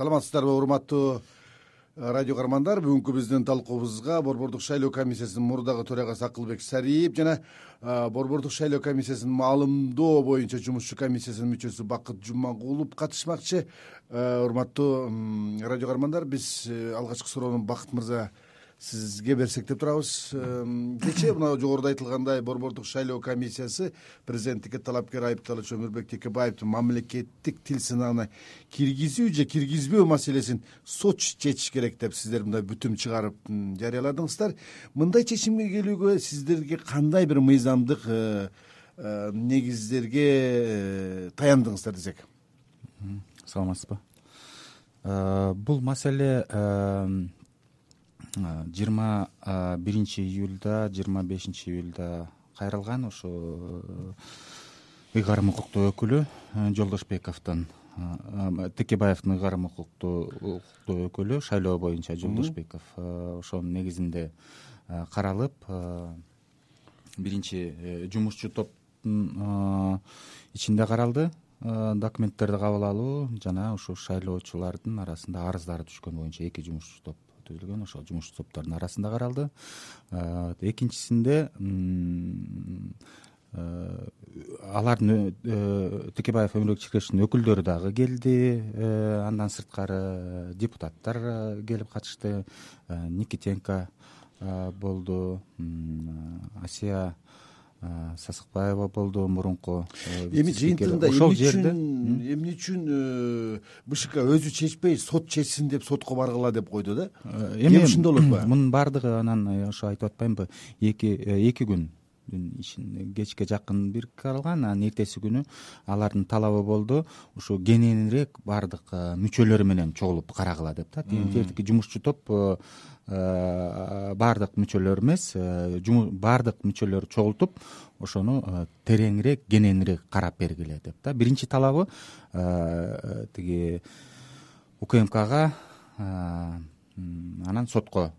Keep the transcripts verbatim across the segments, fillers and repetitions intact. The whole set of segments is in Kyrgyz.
Саламатсыздарбы, урматтуу радио каармандар. Бүгүнкү биздин талкуубузга Борбордук шайлоо комиссиясынын мурдагы төрагасы Акылбек Сариев жана Борбордук шайлоо комиссиясынын маалымдоо боюнча жумушчу комиссиясынын мүчөсү Бакыт Жумагулов катышмакчы. Урматтуу радио каармандар, биз алгачкы суроону Бакыт мырза сизге берсек деп турабыз. Кечээ мына жогоруда айтылгандай Борбордук шайлоо комиссиясы президенттикке талапкер айыпталуучу Өмүрбек Текебаевдин мамлекеттик тил сынагына киргизүү же киргизбөө маселесин сот чечиш керек деп сиздер мындай бүтүм чыгарып жарыяладыңыздар. Мындай чечимге келүүгө сиздерге кандай бир мыйзамдык негиздерге таяндыңыздар десек? Саламатсызбы. Бул маселе жыйырма биринчи июлда жыйырма бешинчи июлда кайрылган. Ошо ыйгарым укуктуу өкүлү Жолдошбековдун, Текебаевдин ыйгарым укуктуу өкүлү шайлоо боюнча Жолдошбеков ошонун негизинде каралып, биринчи жумушчу топтун ичинде каралды. Документтерди кабыл алуу жана ошо шайлоочулардын арасында арыздары түшкөн боюнча эки жумушчу топ түзүлгөн. Ошол жумушчу топтордун арасында каралды. Экинчисинде алардын Текебаев, Өмүрбек Чиркешовдун өкүлдөрү дагы келди. Андан сырткары депутаттар келип катышты. Никитенко болду, Асия Сасыкбаева болду, мурунку. Эми жыйынтыгында ошол жерде эмне үчүн БШК өзү чечпей сот чечсин деп сотко баргыла деп койду да? Эми ушундай болот. Мунун баардыгы анан ошо айтып атпаймынбы, эки эки күн кечке жакын бир каралган. Анан эртеси күнү алардын талабы болду ушу кененирээк баардык мүчөлөрү менен чогулуп карагыла деп да. Тиертики жумушчу топ баардык мүчөлөр эмес, баардык мүчөлөрү чогултуп ошону тереңирээк, кененирээк карап бергиле деп да. Биринчи талабы тиги УКМКга анан сотко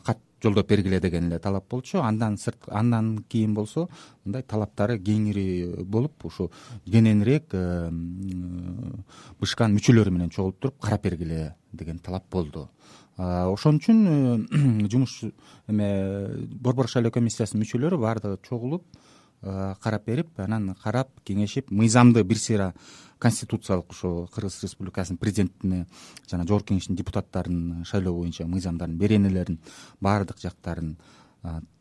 кат жолдоп бергиле деген эле талап болчу. Андан сырт андан кийин болсо мындай талаптары кеңири болуп, ушу кененирээк БШКнын мүчөлөрү менен чогулуп туруп карап бергиле деген талап болду. Ошон үчүн жумуш эме Борбор шайлоо комиссиясынын мүчөлөрү баардыгы чогулуп карап берип, анан карап кеңешип, мыйзамды бир сыйра конституциялык ушу Кыргыз Республикасынын президентине жана Жогорку Кеңештин депутаттарынын шайлоо боюнча мыйзамдардын беренелерин баардык жактарын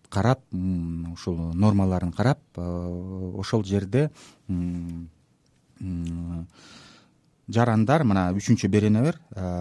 карап, ушул нормаларын карап, ошол жерде жарандар, мына үчүнчү берене бар,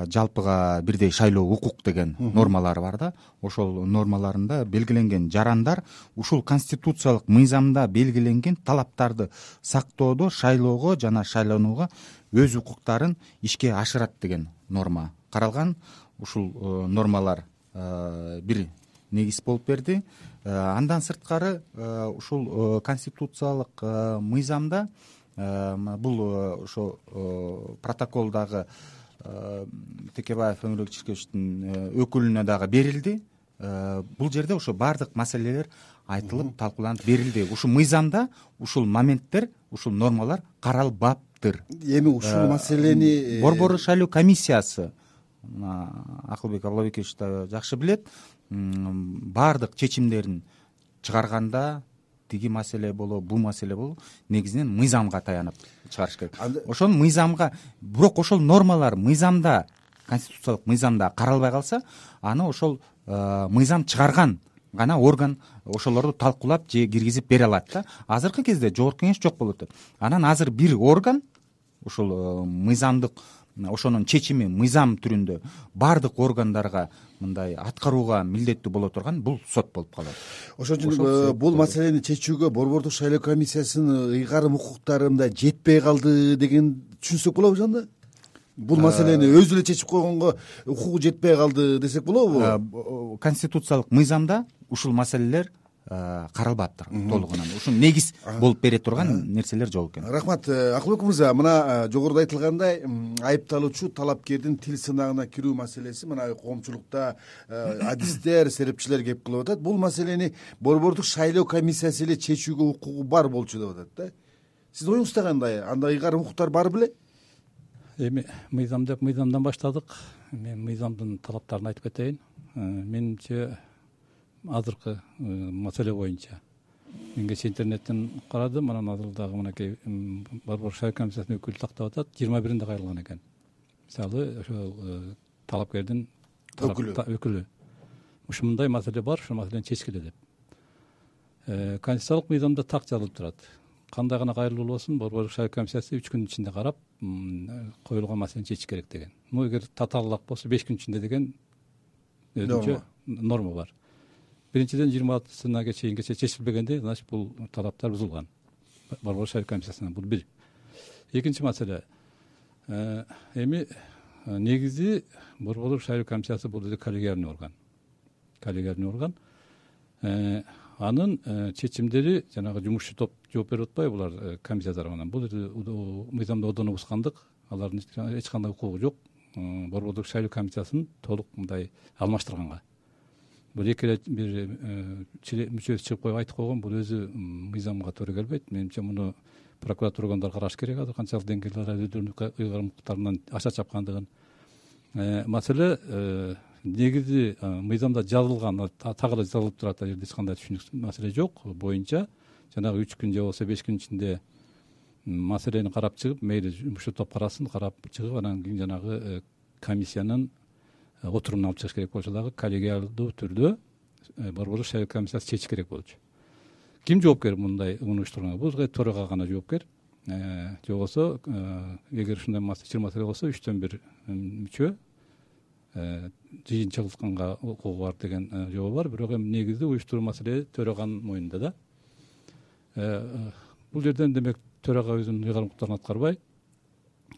жалпыга бирдей шайлоо укук деген нормалары бар да. Ошол нормаларында белгиленген жарандар ушул конституциялык мыйзамда белгиленген талаптарды сактоодо шайлоого жана шайланууга өз укуктарын ишке ашырат деген норма каралган. Ушул нормалар бир негиз болуп берди. Андан сырткары ушул конституциялык мыйзамда бул ошо протоколдагы Текебаев, Өмүрбек Чиркешовдун өкүлүнө дагы берилди. Бул жерде ошо баардык маселелер айтылып, талкууланып берилди. Ушул мыйзамда ушул моменттер, ушул нормалар каралбаптыр. Эми ушул маселени Борбор шайлоо комиссиясы, Акылбек Аблабекович да жакшы билет, баардык чечимдерин чыгарганда тиги маселе болобу, бул маселе болобу, негизинен мыйзамга таянып чыгарыш керек. Ошол мыйзамга, бирок ошол нормалар мыйзамда, конституциялык мыйзамда каралбай калса, аны ошол мыйзам чыгарган гана орган ошолорду талкуулап же киргизип бере алат да. Азыркы кезде Жогорку Кеңеш жок болуп атат. Анан азыр бир орган ушул мыйзамдык, ошонун чечими мыйзам түрүндө баардык органдарга мындай аткарууга милдеттүү боло турган бул сот болуп калат. Ошон үчүн бул маселени чечүүгө Борбордук шайлоо комиссиясынын ыйгарым укуктарында жетпей калды деген түшүнсөк болобу анда? Бул маселени өзү эле чечип койгонго укугу жетпей калды десек болобу? Конституциялык мыйзамда ушул маселелер каралбаптыр толугунан. Ушун негиз болуп бере турган нерселер жок экен. Рахмат. Акылбек мырза, мына жогоруда айтылгандай айыпталуучу талапкердин тил сынагына кирүү маселеси мына коомчулукта адистер, серепчилер кеп кылып атат. Бул маселени Борбордук шайлоо комиссиясы эле чечүүгө укугу бар болчу деп атат да. Сиздин оюңузда кандай? Анда ыйгарым укуктар бар беле? эми мыйзам деп мыйзамдан баштадык. Мен мыйзамдын талаптарын айтып кетейин. Менимче азыркы маселе боюнча мен кечээ интернеттен карадым, анан азыр дагы мынакей Борбор шайлоо комиссиясынын өкүлү тактап атат, жыйырма биринде кайрылган экен. Мисалы ошол талапкердин өкүлү өкүлү ушундай маселе бар, ушул маселени чечкиле деп. Конституциялык мыйзамда так жазылып турат. Кандай гана кайрылуу болсун, Борбор шайлоо комиссиясы үч күн ичинде карап коюлган маселени чечиш керек деген. Ну эгер татаалык болсо беш күн ичинде деген өзүнчө норма бар. Биринчиден жыйырма алтысына чейинге чечилбегенде, значит бул талаптар бузулган. Борбор шайлоо комиссиясынан бул бир. Экинчи маселе, эми негизи Борбор шайлоо комиссиясы бул коллегиальный орган. Коллегиальный орган. Анын чечимдери жанагы жумушчу топ жооп берип атпайбы булар комиссия тарабынан. Бул мыйзамда одоно бузгандык, алардын эч кандай укугу жок. Борбордук шайлоо комиссиясын толук мындай алмаштырганга. Бул эки эле бир мүчөсү чыгып коюп айтып койгон, бул өзү мыйзамга туура келбейт. Менимче муну прокуратура органдары караш керек. Азыр канчалык деңгээлде өздөрүнүн ыйгарымдыктарынан аша чапкандыгын. Маселе негизи мыйзамда жазылган, так эле жазылып турат, ал жерде эч кандай түшүнүксүз маселе жок боюнча жанагы үч күн же болбосо беш күн ичинде маселени карап чыгып, мейли жумушчу топ карасын, карап чыгып, анан кийин жанагы комиссиянын отурумуна алып чыгыш керек болчу, дагы коллегиалдуу түрдө Борбор шайлоо комиссиясы чечиш керек болчу. Ким жоопкер мындай муну уюштурганга? Бул төрага гана жоопкер. Же болбосо эгер ушундай чыр маселе болсо үчтөн бир мүчө жыйынчылыкка укугу бар деген жобо бар. Бирок эми негизи уюштуруу маселе төраганын мойнунда да. Бул жерден демек төрага өзүнүн ыйгарымдыктарын аткарбай,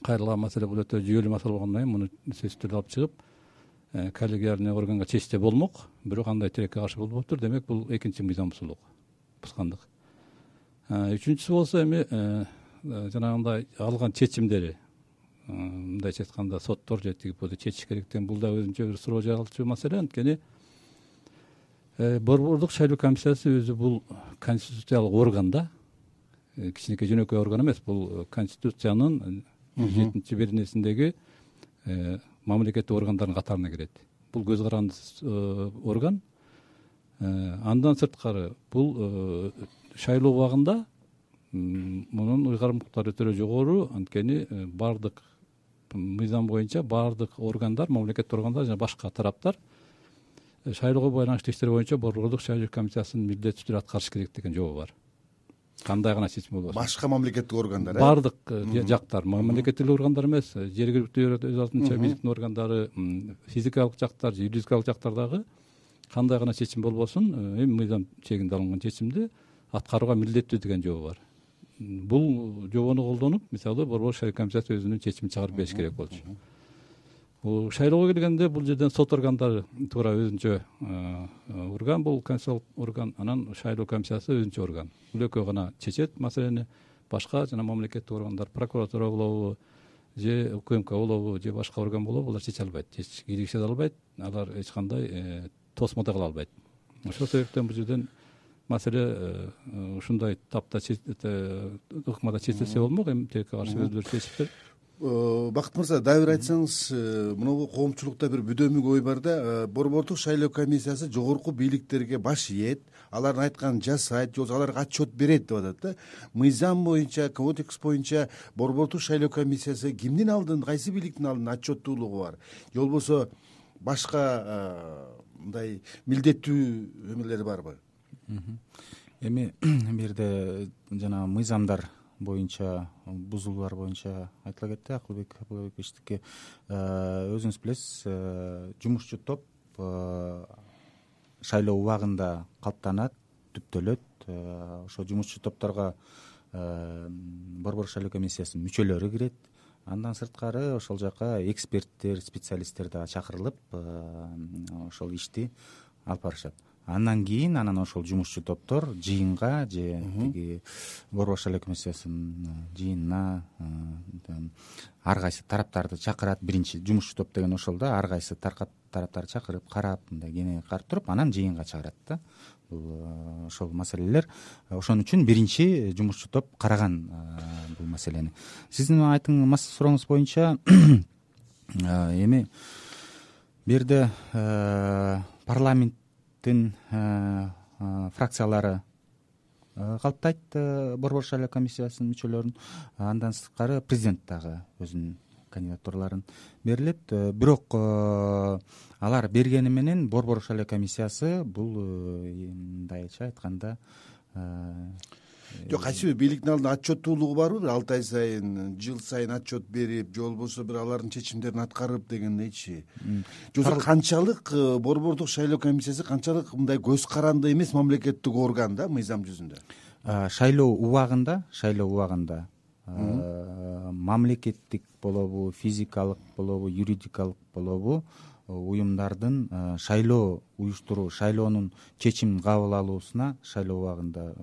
кайрылган маселе бул өтө жүйөлүү маселе болгондон кийин муну сөзсүз түрдө алып чыгып коллегиальный органга чечсе болмок. Бирок андай тилекке каршы болбоптур. Демек бул экинчи мыйзам бузулук, бузгандык. Үчүнчүсү болсо эми жанагындай алган чечимдери, мындайча айтканда соттор же тиги болду чечиш керек деген, бул да өзүнчө бир суроо жаралчу маселе. Анткени Борбордук шайлоо комиссиясы өзү бул конституциялык орган да, кичинекей жөнөкөй орган эмес. Бул конституциянын жетинчи беренесиндеги мамлекеттик органдардын катарына кирет. Бул көз карандысыз орган. Андан сырткары бул шайлоо убагында мунун ыйгарымдыктары өтө жогору. Анткени баардык мыйзам боюнча баардык органдар, мамлекеттик органдар жана башка тараптар шайлоого байланыштуу иштер боюнча Борбордук шайлоо комиссиясынын милдеттүү түрдө аткарыш керек деген жобо бар. Кандай гана чечим болбосун. Башка мамлекеттик органдар, баардык жактар, мамлекеттик органдар эмес, жергиликтүү өз алдынча бийликтин органдары, физикалык жактар, юридикалык жактардагы кандай гана чечим болбосун, эми мыйзам чегинде алынган чечимди аткарууга милдеттүү деген жобо бар. Бул жобону колдонуп, мисалы Борбор шайлоо комиссиясы өзүнүн чечимин чыгарып бериш керек болчу. Бул шайлоого келгенде бул жерден сот органдары туура өзүнчө орган, бул конституциялык орган, анан шайлоо комиссиясы өзүнчө орган. Бул экөө гана чечет маселени. Башка жана мамлекеттик органдар, прокуратура болобу, же УКМК болобу, же башка орган болобу, булар чече албайт, киргизе албайт, алар эч кандай тосмо да кыла албайт. Ошол себептен бул жерден маселе ушундай тапта ыкмада чечилсе болмок. Эми тилекке каршы өздөрү чечиптир. Бакыт мырза, дагы бир айтсаңыз, мынабу коомчулукта бир бүдөмүк ой бар да, Борбордук шайлоо комиссиясы жогорку бийликтерге баш ийет, алардын айтканын жасайт, же болбосо аларга отчет берет деп атат да. Мыйзам боюнча, кодекс боюнча Борбордук шайлоо комиссиясы кимдин алдын, кайсы бийликтин алдын отчеттуулугу бар? Же болбосо башка мындай милдеттүү эмелери барбы? Эми бул жерде жана мыйзамдар боюнча, бузулуулар боюнча айтыла кетти. Акылбек Акылбековичтики өзүңүз билесиз, жумушчу топ шайлоо убагында калыптанат, түптөлөт. Ошо жумушчу топторго Борбор шайлоо комиссиясынын мүчөлөрү кирет. Андан сырткары ошол жака эксперттер, специалисттер да чакырылып ошол ишти алып барышат. андан кийин анан ошол жумушчу топтор жыйынга же тиги борбор шайлоо комиссиясынын жыйынына ар кайсы тараптарды чакырат. Биринчи жумушчу топ деген ошол да, ар кайсы тараптарды чакырып карап, мындай кенен карап туруп анан жыйынга чыгарат да. Бул ошол маселелер, ошон үчүн биринчи жумушчу топ караган бул маселени. Сиздин айтыңыз сурооңуз боюнча эми бу жерде парламенттин фракциялары калыптайт борбор шайлоо комиссиясынын мүчөлөрүн, андан сырткары президент дагы өзүнүн кандидатураларын берилет. Бирок алар бергени менен борбор шайлоо комиссиясы бул мындайча айтканда жок, кайсыбир бийликтин алдында отчеттуулугу барбы? Бир алты ай сайын, жыл сайын отчет берип, же болбосо бир алардын чечимдерин аткарып дегендейчи. Жок, канчалык борбордук шайлоо комиссиясы канчалык мындай көз каранды эмес мамлекеттик орган да мыйзам жүзүндө? Шайлоо убагында, шайлоо убагында мамлекеттик болобу, физикалык болобу, юридикалык болобу уюмдардын шайлоо уюштуруу, шайлоонун чечимин кабыл алуусуна шайлоо убагында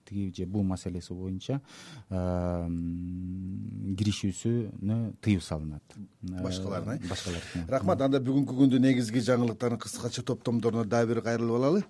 тиги же бул маселеси боюнча киришүүсүнө тыюу салынат. Башкаларына. Башкалар. Рахмат. Анда бүгүнкү күндүн негизги жаңылыктарын кыскача топтомдоруна дагы бир кайрылып алалы.